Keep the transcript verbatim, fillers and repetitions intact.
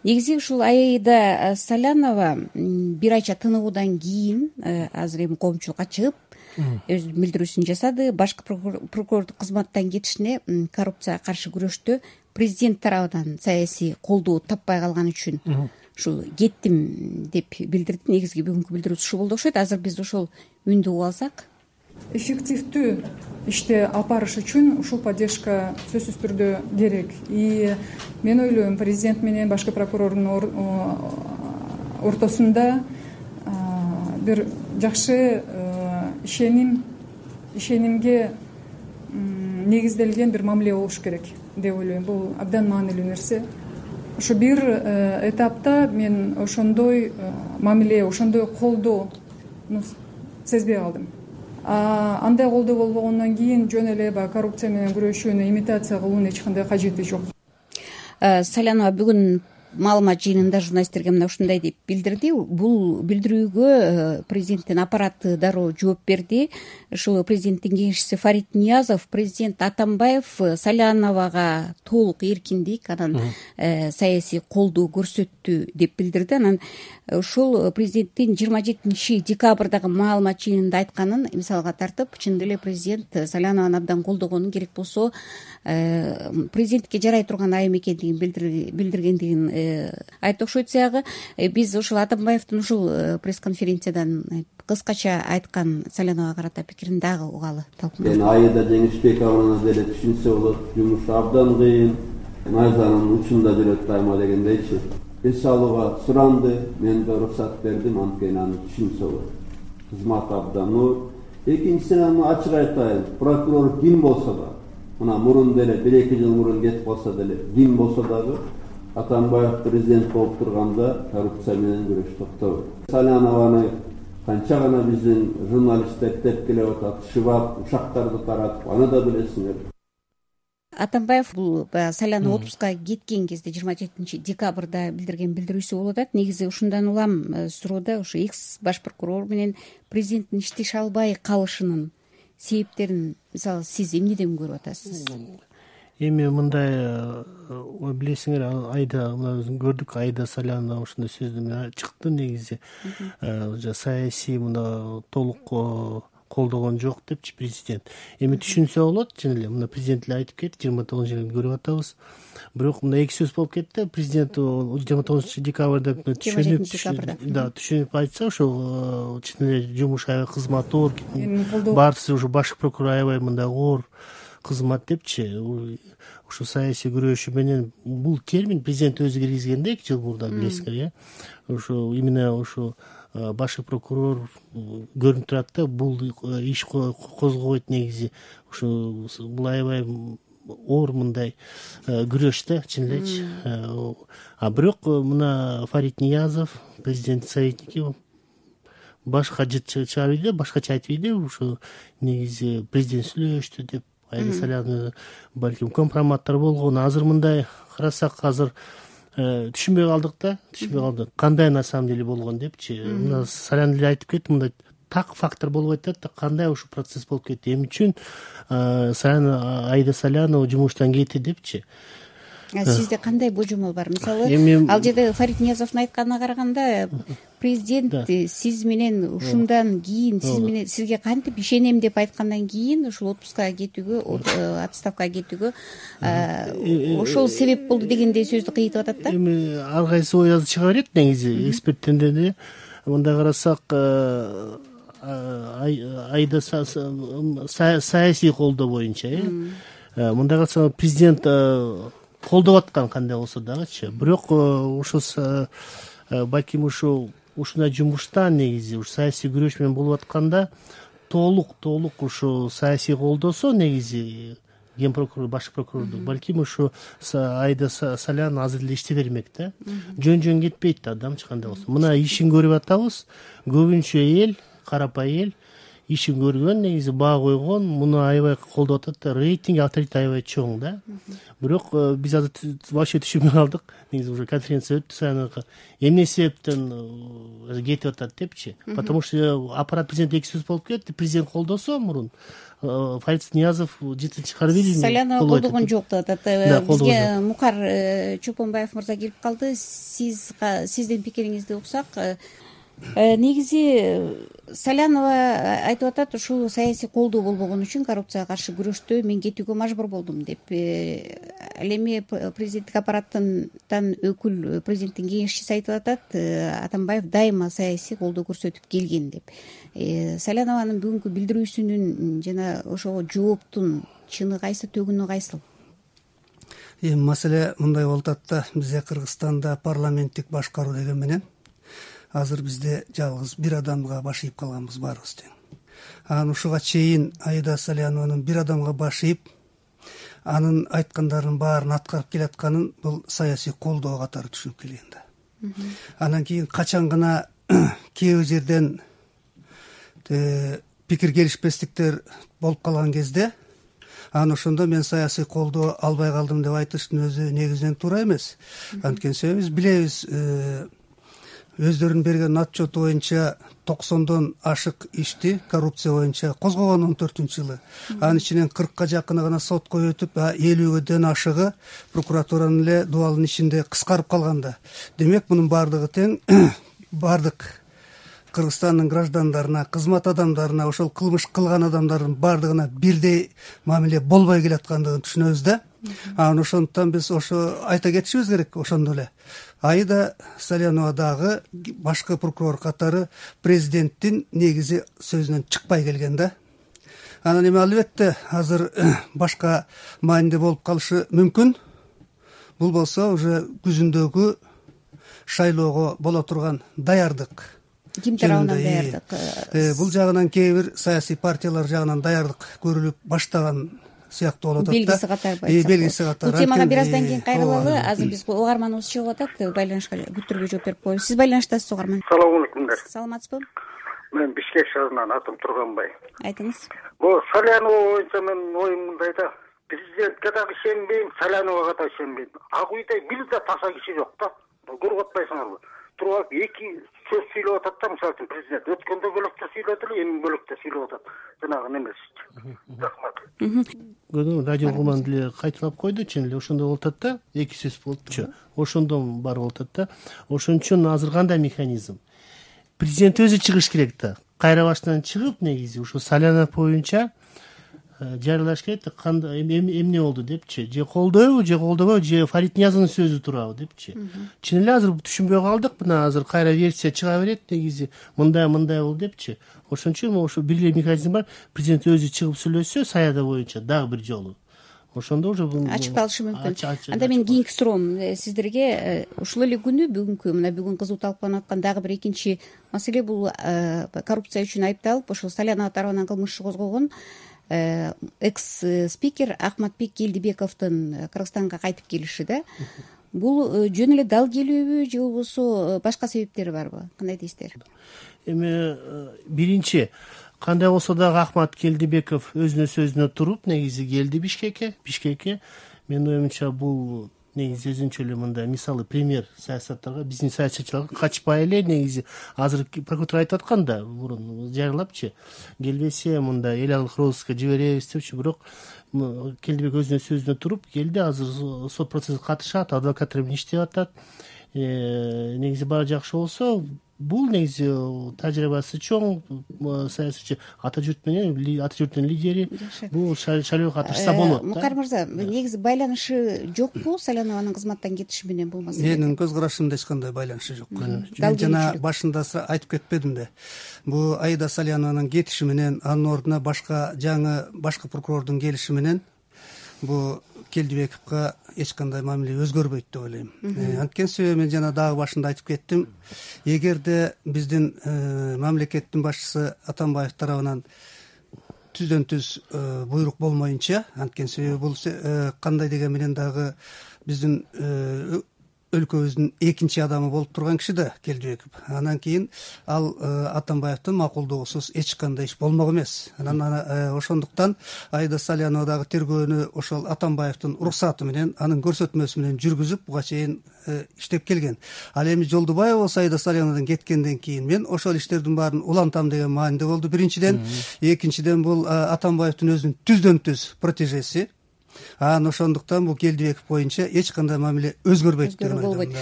негизи ушул Аида Салянова бир айча тыныгуудан кийин азыр эми коомчулукка чыгып өзүнүн билдирүүсүн жасады. Башкы прокурордук кызматтан кетишине коррупцияга каршы күрөштө президент тарабынан саясий колдоо таппай калган үчүн ушул кеттим деп билдирди. Негизги бүгүнкү билдирүүсү ушул болду окшойт. Азыр биз ошол үндү угуп алсак. Эффективдүү ишти алып барыш үчүн ушул поддержка сөзсүз түрдө керек. И мен ойлойм, президент менен башкы прокурордун ортосунда бир жакшы ишеним ишенимге негизделген бир мамиле болуш керек деп ойлойм. Бул абдан маанилүү нерсе. Ошо бир этапта мен ошондой мамиле, ошондой колдоону сезбей калдым. Андай колдоо болбогондон кийин жөн эле баягы коррупция менен күрөшүүнү имитация кылуунун эч кандай кажети жок. Салянова бүгүн маалымат жыйынында журналисттерге мына ушундай деп билдирди. Бул билдирүүгө президенттин аппараты дароо жооп берди. Ушул президенттин кеңешчиси Фарид Ниязов президент Атамбаев Саляновага толук эркиндик, анан саясий колдоо көрсөттү деп билдирди. Анан ушул президенттин жыйырма жетинчи декабрдагы маалымат жыйынында айтканын мисалга тартып, чын эле президент Салянованы абдан колдогонун, керек болсо президентке жарай турган айым экендигин билдиргендигин айтты окшойт. Сиягы биз ушул Атамбаевдин ушул пресс-конференциядан кыскача айткан Саляновага карата пикирин дагы угалы. Мен Аида Жеңишбековна деле түшүнсө болот, жумушу абдан кыйын, найзанын учунда жүрөт дайыма дегендейчи. Эс алууга суранды, мен да уруксат бердим, анткени аны түшүнсө болот. Кызмат абдан оор. Экинчисинен ачык айтайын, прокурор ким болсо да, мына мурун деле бир эки жыл мурун кетип калса деле, ким болсо дагы Атамбаев президент болуп турганда коррупция менен күрөш токтобойт. Салянованы канча гана биздин журналисттер тепкилеп атат, шыбап, ушактарды таратып, аны да билесиңер. Атамбаев бул Салянова отпускка кеткен кезде жыйырма жетинчи декабрда билдирген билдирүүсү болуп атат. Негизи ушундан улам суроода ушу экс баш прокурор менен президенттин иштеше албай калышынын себептерин мисалы сиз эмнеден көрүп атасыз? Эми мындай билесиңер, Айда мына өзүн көрдүк, Аида Салянова ушундай сөздү менен чыкты. Негизи саясий мына толук колдогон жок депчи президент. Эми түшүнсө болот, чын эле мына президент эле айтып кетти, жыйырма тогузунчу жылы көрүп атабыз. Бирок мына эки сөз болуп кетти. Президент жыйырма тогузунчу декабрда түшүнүп, да, түшүнүп айтса, ошо чын эле жумуш аябай кызматы оор, баарысы ушу башкы прокурор аябай мындай оор кызмат депчи. Ушу саясий күрөшүү менен бул термин президент өзү киргизген да эки жыл мурда, билесиңер, э. Ушу именно ушу башкы прокурор көрүнүп турат да, бул иш козгобойт негизи. Ушу бул аябай оор мындай күрөш да, чын элечи. А бирок мына Фарид Ниязов, президент советники башка жыт чыгарып ийди, башкача айтып ийди. Ушу негизи президент сүйлөштү деп, Аида Салянова балким компроматтар болгон. Азыр мындай карасак, азыр түшүнбөй калдык да, түшүнбөй калдык. Кандай на самом деле болгон депчи. Мына Салянова эле айтып кетти, мындай так фактор болуп атат да, кандай ушул процесс болуп кетти, эмне үчүн Аида Салянова жумуштан кетти депчи. Сизде кандай божомол бар? Мисалы, ал жерде Фарид Ниязовдун айтканына караганда, президент сиз менен ушундан кийин сиз менен сизге кантип ишенем деп айткандан кийин ушул отпускка кетүүгө, отставкага кетүүгө ошол себеп болду дегендей сөздү кыйтып атат да. Эми ар кайсы ой азыр чыга берет негизи эксперттерден эле. Мындай карасак, Айда саясий колдоо боюнча, э. Мындай карасак, президент колдоп аткан кандай болсо дагычы. Бирок ушул балким ушул ушундай жумуштан негизи ушу саясий күрөш менен болуп атканда толук толук ушу саясий колдосо негизи ген прокурор, баш прокурорду, балким ушу Аида Салянова азыр эле иштей бермек да. Жөн-жөн кетпейт да адамчы кандай болсо. Мына ишин көрүп атабыз. Көбүнчө эл, карапай эл ишин көргөн, негизи баа койгон, муну аябай колдоп атат да, рейтинги авторитети аябай чоң да. Бирок биз азыр вообще түшүнбөй калдык. Негизи уже конференция өттү Саянова. Эмне себептен кетип атат депчи? Потому что аппарат президент эки сөз болуп кетти. Президент колдосо мурун Фарид Ниязов жетинчи чыгарып элди. Салянова колдогон жок деп атат. Бизге Мукар Чопонбаев мырза келип калды. Сиз сиздин пикириңизди уксак, негизи Салянова айтып атат, ушул саясий колдоо болбогон үчүн коррупцияга каршы күрөштө мен кетүүгө мажбур болдум деп. Ал эми президенттик аппараттан өкүл президенттин кеңешчиси айтып атат, Атамбаев дайыма саясий колдоо көрсөтүп келген деп. Салянованын бүгүнкү билдирүүсүнүн жана ошого жооптун чыны кайсы, төгүнү кайсыл? Эми маселе мындай болуп атат да, бизде Кыргызстанда парламенттик башкаруу деген менен азыр бизде жалгыз бир адамга баш ийип калганбыз баарыбыз тең. Анан ушуга чейин Аида Салянованын бир адамга баш ийип, анын айткандарынын баарын аткарып келатканын бул саясий колдоо катары түшүнүп келген да. Анан кийин качан гана кээ бир жерден пикир келишпестиктер болуп калган кезде, анан ошондо мен саясий колдоо албай калдым деп айтыштын өзү негизинен туура эмес. Анткени себеби биз билебиз, өздөрүнүн берген отчету боюнча токсондон ашык ишти коррупция боюнча козгогон он төртүнчү жылы. Анын ичинен кыркка жакыны гана сотко өтүп, элүүгөдөн ашыгы прокуратуранын эле дубалынын ичинде кыскарып калганда. Демек, мунун баардыгы тең баардык Кыргызстандын граждандарына, кызмат адамдарына, ошол кылмыш кылган адамдардын баардыгына бирдей мамиле болбой келаткандыгын түшүнөбүз да. Анан ошондуктан биз ошо айта кетишибиз керек. Ошондо эле Аида Салянова дагы башкы прокурор катары президенттин негизи сөзүнөн чыкпай келген да. Анан эми албетте азыр башка мааниде болуп калышы мүмкүн. Бул болсо уже күзүндөгү шайлоого боло турган даярдык. Ким тарабынан даярдык? Бул жагынан кээ бир саясий партиялар жагынан даярдык көрүлүп баштаган сыяктуу болуп атат да. Белгиси катары айтсак. Белгиси катары. Бул темага бир аздан кийин кайрылалы. Азыр биз угарманыбыз чыгып атат, байланышка күттүрбөй жооп берип коебуз. Сиз байланыштасыз, угарман. Салам алейкумдар. Саламатсызбы? Мен Бишкек шаарынан атым Турганбай. Айтыңыз. Бул Салянова боюнча менин оюм мындай да. Президентке дагы ишенбейм, Саляновага да ишенбейм. Ак үйдө бир да таза киши жок да. Көрүп атпайсыңарбы? Туруп эки сөз сүйлөп атат да, мисалы үчүн президент өткөндө бөлөктө сүйлөдү эле, эми бөлөктө сүйлөп атат. Жанагы немесичи. Рахмат. Көрдүңүз, радио угурман деле кайталап койду, чын эле ошондой болуп атат да, эки сөз болупчу. Ошондон бар болуп атат да. Ошон үчүн азыр кандай механизм? Президент өзү чыгыш керек да. Кайра баштан чыгып, негизи ушу Салянов боюнча жарыялаш керек да, кандай эмне болду депчи, же колдойбу, же колдобойбу, же Фарид Ниязовдун сөзү туурабы депчи. Чын эле азыр түшүнбөй калдык, мына азыр кайра версия чыга берет, негизи мындай мындай болду депчи. Ошон үчүн ошо бир эле механизм бар, президент өзү чыгып сүйлөсө Саяда боюнча дагы бир жолу. Ошондо уже ачыкталышы мүмкүн. Анда мен кийинки суроом сиздерге, ушул эле күнү бүгүнкү мына бүгүн кызуу талкууланып аткан дагы бир экинчи маселе, бул коррупция үчүн айыпталып ошол Салянова тарабынан кылмыш иши козголгон экс спикер Ахматбек Келдибековдун Кыргызстанга кайтып келиши да. Бул жөн эле дал келүүбү, же болбосо башка себептери барбы? Кандай дейсиздер? Эми биринчи, кандай болсо дагы Ахмат Келдибеков өзүнүн сөзүнө туруп негизи келди Бишкекке. Бишкекке менин оюмча бул негизи өзүнчө эле мындай мисалы пример саясаттарга, биздин саясатчыларга качпай эле негизи азыр прокуратура айтып аткан да, мурун жарыялапчы, келбесе мындай эл алык розыска жиберебиз депчи. Бирок Келдибек өзүнүн сөзүнө туруп келди. Азыр сот процессине катышат, адвокаттар менен иштеп атат. Негизи баары жакшы болсо, бул негизи тажрыйбасы чоң саясатчы, ата журт менен ата журттун лидери, бул шайлоого катышса болот. Мукар мырза, негизи байланышы жокпу Салянованын кызматтан кетиши менен бул маселе? Менин көз карашымда эч кандай байланышы жок. Мен жана башында айтып кетпедимби? Бул Аида Салянованын кетиши менен, анын ордуна башка жаңы башкы прокурордун келиши менен бул Келдибековго эч кандай мамиле өзгөрбөйт деп ойлойм. Анткени себеби мен жана дагы башында айтып кеттим. Эгерде биздин мамлекеттин башчысы Атамбаев тарабынан түздөн түз буйрук болмоюнча, анткени себеби бул кандай деген менен дагы биздин өлкөбүздүн экинчи адамы болуп турган киши да Келдибеков. Анан кийин ал Атамбаевдин макулдугусуз эч кандай иш болмок эмес. Анан ошондуктан Аида Салянова дагы тергөөнү ошол Атамбаевдин уруксаты менен, анын көрсөтмөсү менен жүргүзүп буга чейин иштеп келген. Ал эми Жолдубаева болсо Аида Саляновадан кеткенден кийин мен ошол иштердин баарын улантам деген мааниде болду биринчиден. Экинчиден бул Атамбаевдин өзүнүн түздөн түз протежеси. Анан ошондуктан бул Келдибеков боюнча эч кандай мамиле өзгөрбөйт деп ойлойм.